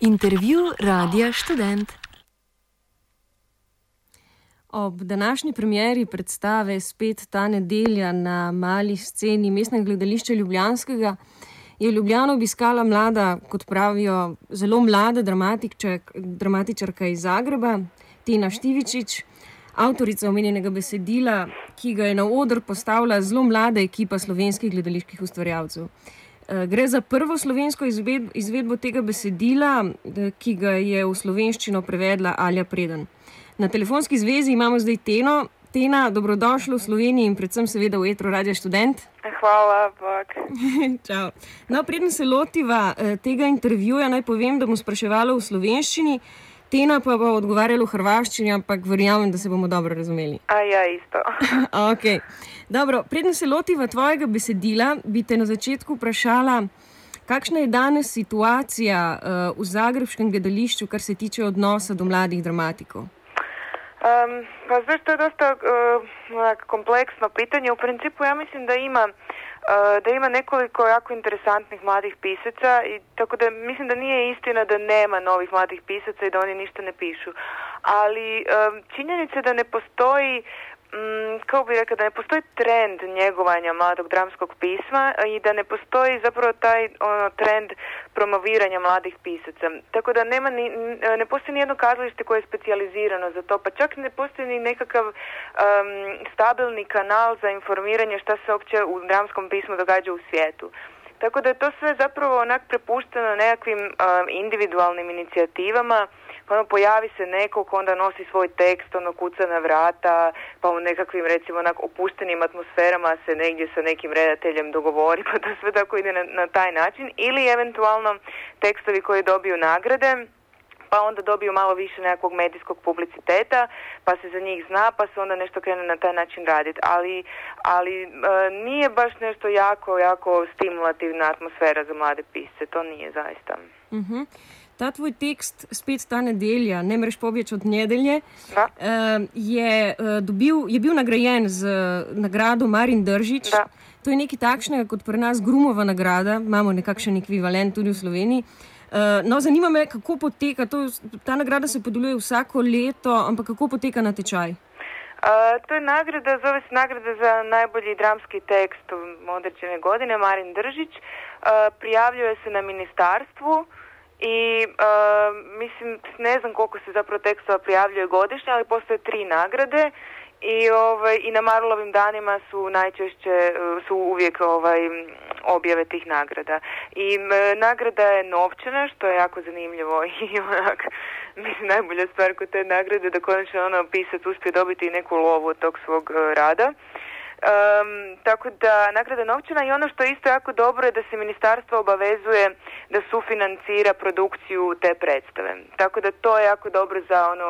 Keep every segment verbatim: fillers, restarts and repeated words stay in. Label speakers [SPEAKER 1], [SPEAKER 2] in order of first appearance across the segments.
[SPEAKER 1] Intervju Radia Študent.
[SPEAKER 2] Ob današnji premieri predstave Spet ta nedelja na mali sceni Mestnega gledališča ljubljanskega je Ljubljano obiskala mlada, kot pravijo, zelo mlada dramatičarka iz Zagreba, Tena Štivičič, avtorica omenjenega besedila, ki ga je na oder postavila zelo mlada ekipa slovenskih gledaliških ustvarjalcev. Gre za prvo slovensko izvedbo tega besedila, ki ga je v slovenščino prevedla Alja Preden. Na telefonski zvezi imamo zdaj Teno. Tena, dobrodošla v Sloveniji in predvsem seveda v etru Radia Študent.
[SPEAKER 3] Hvala, bak.
[SPEAKER 2] Čau. No, preden se lotiva tega intervjuja, naj povem, da bom spraševala v slovenščini, Tena pa bo odgovarjala v hrvaščini, ampak verjamem, da se bomo dobro razumeli.
[SPEAKER 3] A ja, isto.
[SPEAKER 2] Ok. Dobro, preden se lotiva tvojega besedila, bi te na začetku vprašala, kakšna je danes situacija uh, v zagrebškem gledališču, kar se tiče odnosa do mladih dramatikov?
[SPEAKER 3] Um, pa znaš, to je dosta uh, kompleksno pitanje. U principu ja mislim da ima uh, da ima nekoliko jako interesantnih mladih pisaca i tako da mislim da nije istina da nema novih mladih pisaca i da oni ništa ne pišu. Ali um, činjenica da ne postoji Mm, kao bih rekao, da ne postoji trend njegovanja mladog dramskog pisma i da ne postoji zapravo taj ono, trend promoviranja mladih pisaca. Tako da nema ni, ne postoji nijedno kazalište koje je specijalizirano za to, pa čak ne postoji ni nekakav um, stabilni kanal za informiranje šta se uopće u dramskom pismu događa u svijetu. Tako da je to sve zapravo onak prepušteno nekakvim um, individualnim inicijativama. Ono, pojavi se neko ko onda nosi svoj tekst, ono kuca na vrata, pa u nekakvim recimo onak opuštenim atmosferama se negdje sa nekim redateljem dogovori, pa to sve tako ide na, na taj način. Ili eventualno tekstovi koji dobiju nagrade, pa onda dobiju malo više nekakvog medijskog publiciteta, pa se za njih zna, pa se onda nešto krene na taj način raditi. Ali, ali e, nije baš nešto jako, jako stimulativna atmosfera za mlade pisce, to nije zaista.
[SPEAKER 2] Mhm. Ta tvoj tekst Spet ta nedelja, ne mreš pobječ od nedelje, je, dobil, je bil nagrajen z nagrado Marin Držić.
[SPEAKER 3] Da.
[SPEAKER 2] To je nekaj takšnega kot pri nas Grumova nagrada, imamo nekakšen ekvivalent tudi v Sloveniji. No, zanima me, kako poteka, to, ta nagrada se podeljuje vsako leto, ampak kako poteka natečaj?
[SPEAKER 3] Uh, to je nagrada, zove se nagrada za najbolji dramski tekst određene godine, Marin Držić. Uh, prijavljuje se na ministarstvu. I uh, mislim, ne znam koliko se zapravo tekstova prijavljuje godišnje, ali postoje tri nagrade i, ovaj, i na Marulovim danima su najčešće, su uvijek ovaj, objave tih nagrada. I m, nagrada je novčana, što je jako zanimljivo i onak, mislim, najbolja stvar kod te nagrade da konačno ono pisac uspije dobiti i neku lovu od tog svog uh, rada. Um, tako da nagrada novčana i ono što je isto jako dobro je da se ministarstvo obavezuje da sufinancira produkciju te predstave. Tako da to je jako dobro za ono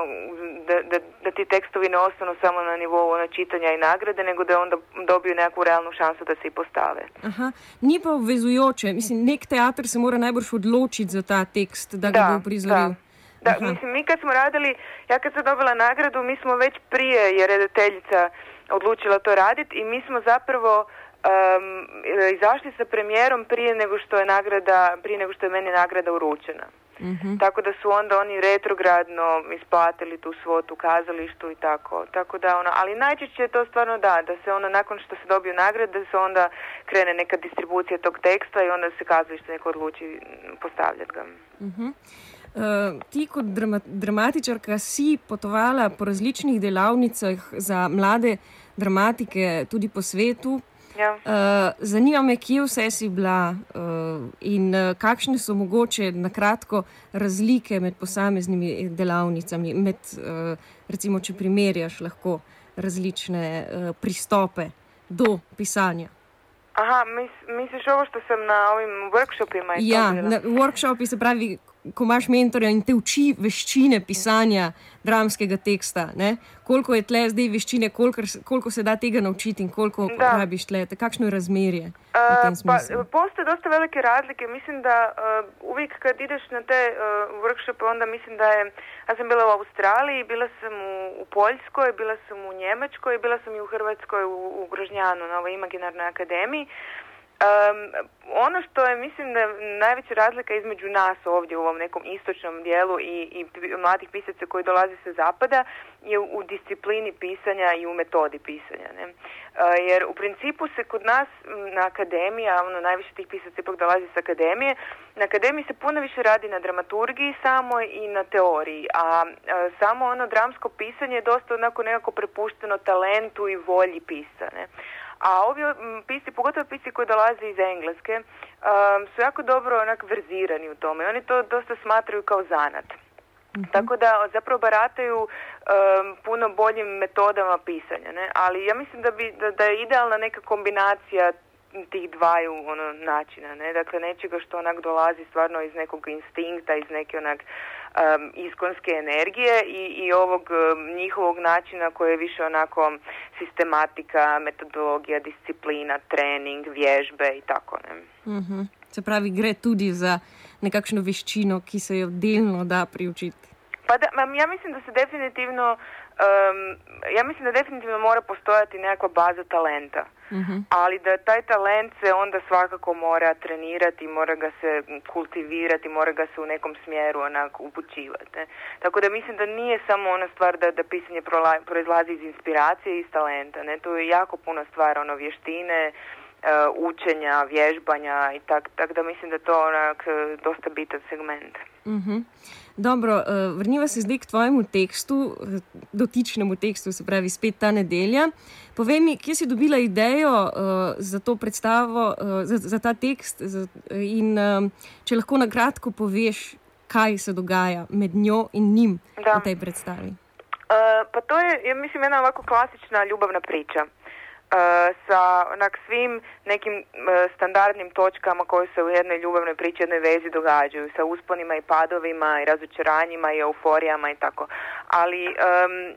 [SPEAKER 3] da, da, da ti tekstovi ne ostanu samo na nivou ono, čitanja i nagrade, nego da onda dobiju nekakvu realnu šansu da se i postave.
[SPEAKER 2] Aha, ni pa obvezujoče. Mislim, nek teater se mora najbrž odločiti za ta tekst, da ga
[SPEAKER 3] da,
[SPEAKER 2] bo prizoril.
[SPEAKER 3] Da, da mislim, mi kad smo radili, ja kad sam dobila nagradu, mi smo već prije, je redateljica odlučila to raditi i mi smo zapravo um, izašli sa premijerom prije nego što je nagrada, prije nego što je meni nagrada uručena. Mm-hmm. Tako da su onda oni retrogradno isplatili tu svotu kazalištu i tako. Tako da ono, ali najčešće je to stvarno da, da se onda nakon što se dobiju nagrade, da se onda krene neka distribucija tog teksta i onda se kazalište neko odluči postavljati ga.
[SPEAKER 2] Mm-hmm. Uh, ti kot drama, dramatičarka si potovala po različnih delavnicah za mlade dramatike tudi po svetu.
[SPEAKER 3] Ja.
[SPEAKER 2] Uh, zanima me, kje vse si bila uh, in uh, kakšne so mogoče na kratko razlike med posameznimi delavnicami, med, uh, recimo, če primerjaš lahko različne uh, pristope do pisanja.
[SPEAKER 3] Aha, mis, misliš ovo što sam na ovim workshopima?
[SPEAKER 2] Ja, na workshopi se pravi, ko imaš mentorja in te uči veščine pisanja dramskega teksta, ne? Koliko je tle zdaj veščine, koliko, koliko se da tega naučiti in koliko da. Rabiš tle, kakšno je razmerje uh, v tem smislu?
[SPEAKER 3] Pa, postoje dosta velike razlike, mislim da uh, uvijek kad ideš na te uh, workshope, onda mislim da je, ja sam bila u Australiji, bila sam u, u Poljskoj, bila sam u Njemačkoj, bila sam i u Hrvatskoj u, u Grožnjanu, na ovoj imaginarnoj akademiji. Um, ono što je, mislim, da najveća razlika između nas ovdje u ovom nekom istočnom dijelu i, i mladih pisaca koji dolaze sa zapada je u, u disciplini pisanja i u metodi pisanja. Ne? Uh, jer u principu se kod nas na akademiji, a ono, najviše tih pisaca ipak dolazi sa akademije, na akademiji se puno više radi na dramaturgiji samo i na teoriji, a uh, samo ono dramsko pisanje je dosta onako nekako prepušteno talentu i volji pisca. Ne? A ovi pisci, pogotovo pisci koji dolaze iz Engleske, um, su jako dobro onak verzirani u tome. Oni to dosta smatraju kao zanat. Mm-hmm. Tako da zapravo barataju um, puno boljim metodama pisanja. Ne? Ali ja mislim da, bi, da, da je idealna neka kombinacija tih dvaju ono, načina. Ne? Dakle, nečega što onak dolazi stvarno iz nekog instinkta, iz neke onak um, iskonske energije i, i ovog um, njihovog načina koji je više onako sistematika, metodologija, disciplina, trening, vježbe i tako. Ne?
[SPEAKER 2] Mm-hmm. Se pravi, gre tudi za nekakšno veščino, ki se jo delno da priučiti.
[SPEAKER 3] Pa da, ja mislim da se definitivno um, ja mislim da definitivno mora postojati nekakva baza talenta. Mm-hmm. Ali da taj talent se onda svakako mora trenirati, mora ga se kultivirati, mora ga se u nekom smjeru onako upućivati. Ne? Tako da mislim da nije samo ona stvar da, da pisanje proizlazi iz inspiracije i iz talenta. Ne? To je jako puno stvar, ono, vještine, uh, učenja, vježbanja i tak, tak da mislim da to onak dosta bitan segment.
[SPEAKER 2] Mm-hmm. Dobro, uh, vrniva se zdaj k tvojemu tekstu, dotičnemu tekstu, se pravi Spet ta nedelja. Povej mi, kje si dobila idejo uh, za to predstavo, uh, za, za ta tekst za, in uh, če lahko na kratko poveš, kaj se dogaja med njo in njim da. V tej predstavi.
[SPEAKER 3] Uh, pa to je, ja mislim, ena ovako klasična ljubavna priča. Uh, sa onak svim nekim uh, standardnim točkama koje se u jednoj ljubavnoj priči, jednoj vezi događaju, sa usponima i padovima i razočaranjima i euforijama i tako. Ali um,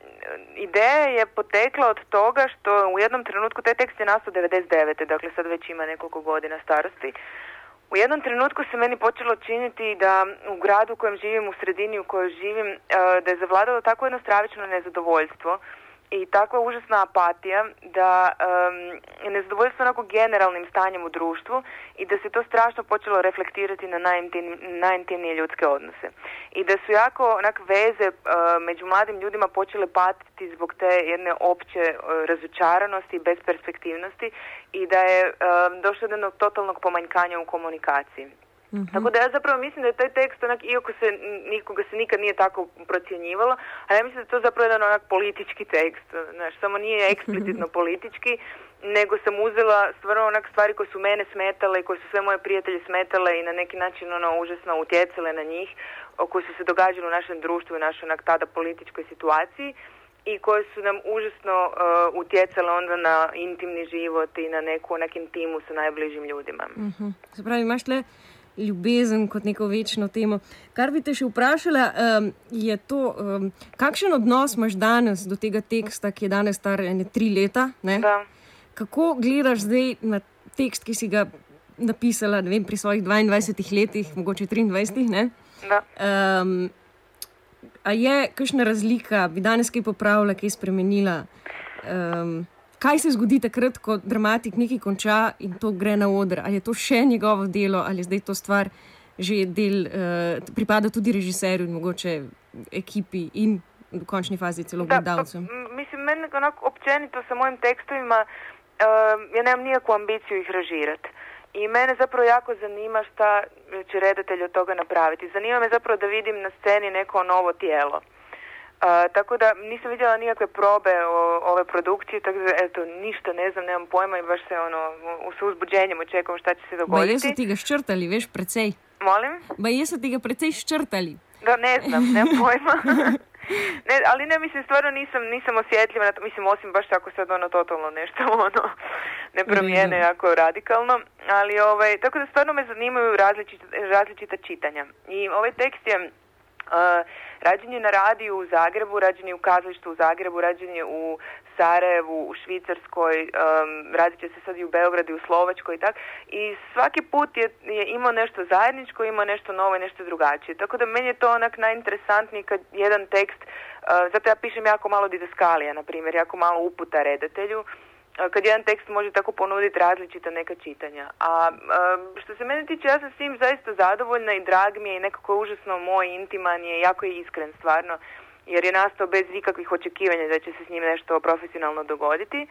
[SPEAKER 3] ideja je potekla od toga što u jednom trenutku, taj tekst je nastao devedeset devete. Dakle sad već ima nekoliko godina starosti. U jednom trenutku se meni počelo činiti da u gradu u kojem živim, u sredini u kojoj živim, uh, da je zavladalo tako jedno stravično nezadovoljstvo i takva užasna apatija da um, je nezadovoljstvo onako generalnim stanjem u društvu i da se to strašno počelo reflektirati na najintim, najintimnije ljudske odnose. I da su jako onak veze uh, među mladim ljudima počele patiti zbog te jedne opće uh, razočaranosti i besperspektivnosti i da je uh, došlo do jednog totalnog pomanjkanja u komunikaciji. Mm-hmm. Tako da ja zapravo mislim da je taj tekst onak, iako se nikoga se nikad nije tako procjenjivalo, ali ja mislim da je to zapravo jedan onak politički tekst, znaš, samo nije eksplicitno politički, nego sam uzela stvarno onak stvari koje su mene smetale i koje su sve moje prijatelje smetale i na neki način ono užasno utjecale na njih, koje su se događale u našem društvu i našoj onak tada političkoj situaciji i koje su nam užasno uh, utjecale onda na intimni život i na neku onak intimu sa najbližim ljudima.
[SPEAKER 2] Mm-hmm. Zapravi, imaš le ljubezen kot neko večno temo. Kar bi te še vprašala, um, je to, um, kakšen odnos imaš danes do tega teksta, ki je danes star ene tri leta? Ne?
[SPEAKER 3] Da.
[SPEAKER 2] Kako gledaš zdaj na tekst, ki si ga napisala, ne vem, pri svojih dvaindvajsetih letih, mogoče triindvajsetih, ne?
[SPEAKER 3] Da.
[SPEAKER 2] Um, a je kakšna razlika, bi danes kaj popravila, kaj spremenila? Um, Kaj se zgodi takrat, ko dramatik nekaj konča in to gre na oder? Ali je to še njegovo delo, ali je zdaj to stvar že del, uh, pripada tudi režiserju in mogoče ekipi in v končni fazi celo gledalcem?
[SPEAKER 3] Mislim, meni onako općenito sa mojim tekstovima, uh, ja nemam nikakvu ambiciju ih režirati. I mene zapravo jako zanima šta će redatelj od toga napraviti. Zanima me zapravo da vidim na sceni neko novo tijelo. Uh, tako da nisam vidjela nikakve probe o, ove produkcije, tako da eto, ništa ne znam, nemam pojma i baš se ono, u uzbuđenjem očekujem šta će se dogoditi.
[SPEAKER 2] Ba jesu ti ga ščrtali, veš, precej?
[SPEAKER 3] Molim?
[SPEAKER 2] Ba jesu ti ga precej ščrtali?
[SPEAKER 3] Da, ne znam, nemam pojma. Ne, ali ne, mislim, stvarno nisam, nisam osjetljiva na to, mislim, osim baš ako sad ono totalno nešto ono ne promijene jako radikalno, ali ovaj, tako da stvarno me zanimaju različita, različita čitanja. I ovaj tekst je Uh, rađen je na radiju u Zagrebu, rađen je u kazalištu u Zagrebu, rađen je u Sarajevu, u Švicarskoj, um, radit će se sad i u Beogradu i u Slovačkoj i tak. I svaki put je, je imao nešto zajedničko, imao nešto novo i nešto drugačije. Tako da meni je to onak najinteresantniji kad jedan tekst, uh, zato ja pišem jako malo didaskalija, na primjer, jako malo uputa redatelju, kad jedan tekst može tako ponuditi različita neka čitanja. A što se mene tiče, ja sam s tim zaista zadovoljna i drag mi je i nekako je užasno moj, intiman je, jako je iskren stvarno, jer je nastao bez ikakvih očekivanja da će se s njim nešto profesionalno dogoditi.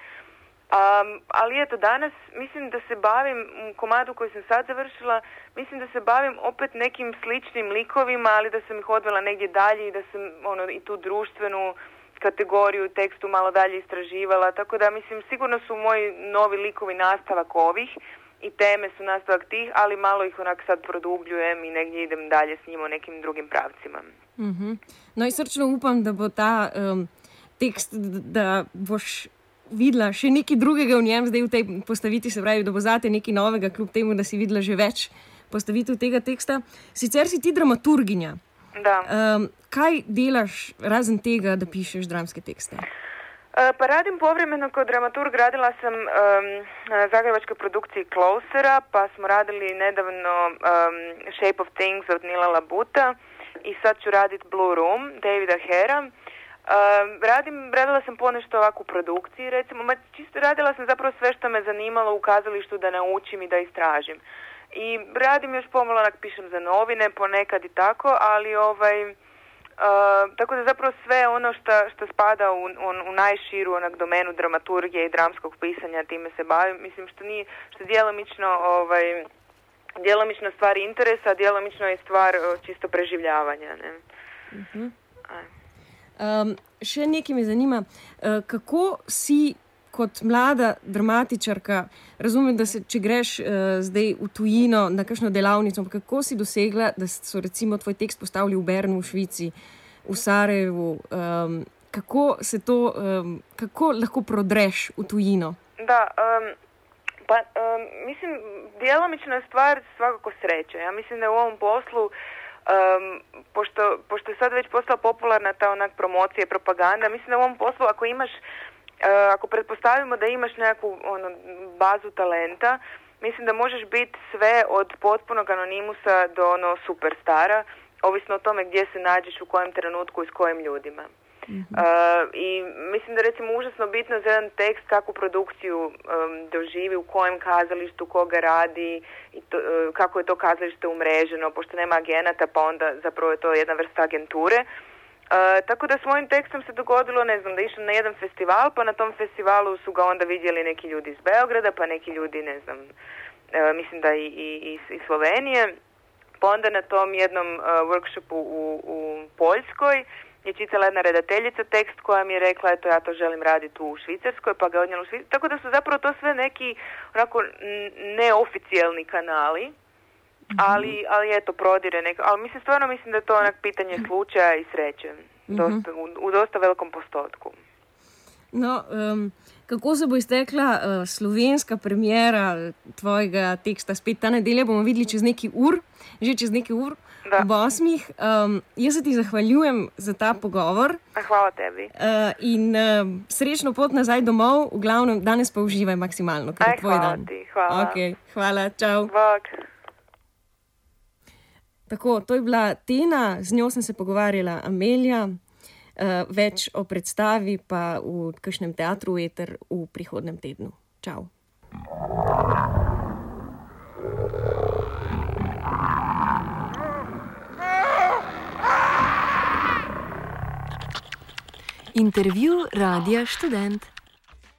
[SPEAKER 3] Um, ali eto, danas mislim da se bavim, u komadu koji sam sad završila, mislim da se bavim opet nekim sličnim likovima, ali da sam ih odvela negdje dalje i da sam ono, i tu društvenu kategoriju tekstu malo dalje istraživala, tako da mislim sigurno su moji novi likovi nastavak ovih i teme su nastavak tih, ali malo ih onak sad produbljujem i negdje idem dalje s njima u nekim drugim pravcima.
[SPEAKER 2] Mm-hmm. No i srčno upam, da bo ta um, tekst, da boš videla še nekaj drugega v njem, zdaj v tej postaviti, se pravi, da bo zate nekaj novega, kljub temu, da si videla že več postavitev tega teksta. Sicer si ti dramaturginja.
[SPEAKER 3] Da.
[SPEAKER 2] Um, kaj delaš razen tega, da pišeš dramske tekste?
[SPEAKER 3] Uh, pa radim povremeno kao dramaturg, radila sam um, na zagrebačkoj produkciji Closera, pa smo radili nedavno um, Shape of Things od Nila Labuta i sad ću raditi Blue Room Davida Hera. Uh, radim, radila sam ponešto ovako u produkciji, recimo, ma čisto radila sam zapravo sve što me zanimalo u kazalištu da naučim i da istražim. I radim još pomalo, onak pišem za novine, ponekad i tako, ali ovaj, uh, tako da zapravo sve ono što, što spada u, u, u najširu onak domenu dramaturgije i dramskog pisanja, time se bavim, mislim što nije, što djelomično, ovaj, djelomično stvar interesa, a djelomično je stvar čisto preživljavanja, ne.
[SPEAKER 2] Uh-huh. Um, še nekaj me zanima, uh, kako si kot mlada dramatičarka, razumem, da se, če greš uh, zdaj v tujino na kakšno delavnico, kako si dosegla, da so recimo tvoj tekst postavili v Bernu, v Švici, v Sarajevu, um, kako se to, um, kako lahko prodreš v tujino?
[SPEAKER 3] Da, um, pa um, mislim, djelomično je stvar svakako sreće. Ja mislim da u ovom poslu Um, pošto, pošto je sad već postala popularna ta onak promocija i propaganda, mislim da u ovom poslu ako imaš, uh, ako pretpostavimo da imaš nekakvu ono, bazu talenta, mislim da možeš biti sve od potpunog anonimusa do ono superstara, ovisno o tome gdje se nađeš, u kojem trenutku i s kojim ljudima. Mm-hmm. Uh, I mislim da recimo užasno bitno za jedan tekst kakvu produkciju um, doživi, u kojem kazalištu, koga radi i to, uh, kako je to kazalište umreženo, pošto nema agenata, pa onda zapravo je to jedna vrsta agenture. Uh, tako da s mojim tekstom se dogodilo, ne znam, da išao na jedan festival, pa na tom festivalu su ga onda vidjeli neki ljudi iz Beograda, pa neki ljudi, ne znam, uh, mislim da i, i, i Slovenije, pa onda na tom jednom uh, workshopu u, u Poljskoj je čitala jedna redateljica tekst koja mi je rekla, eto ja to želim raditi u Švicarskoj, pa ga odnijela u Švicarskoj. Tako da su zapravo to sve neki onako neoficijalni kanali, mm-hmm. ali, ali eto prodire neko. Ali mislim, stvarno mislim da je to onak pitanje slučaja i sreće. Dosta, mm-hmm. u, u dosta velikom postotku.
[SPEAKER 2] No, um, kako se bo iztekla uh, slovenska premijera tvojega teksta? Spet ta nedelja bomo videli čez nekaj ur, že čez nekaj ur. Da. Ob osmih. Um, jaz se ti zahvaljujem za ta pogovor.
[SPEAKER 3] Hvala tebi.
[SPEAKER 2] Uh, in uh, srečno pot nazaj domov, v glavnem danes pa uživaj maksimalno, ker je tvoj
[SPEAKER 3] hvala
[SPEAKER 2] dan.
[SPEAKER 3] Ti, hvala.
[SPEAKER 2] Okay, hvala, čau.
[SPEAKER 3] Bok.
[SPEAKER 2] Tako, to je bila Tena, z njo sem se pogovarjala Amelija, uh, več o predstavi pa v kakšnem teatru Eter v prihodnem tednu. Čau.
[SPEAKER 1] Intervju Radia Študent.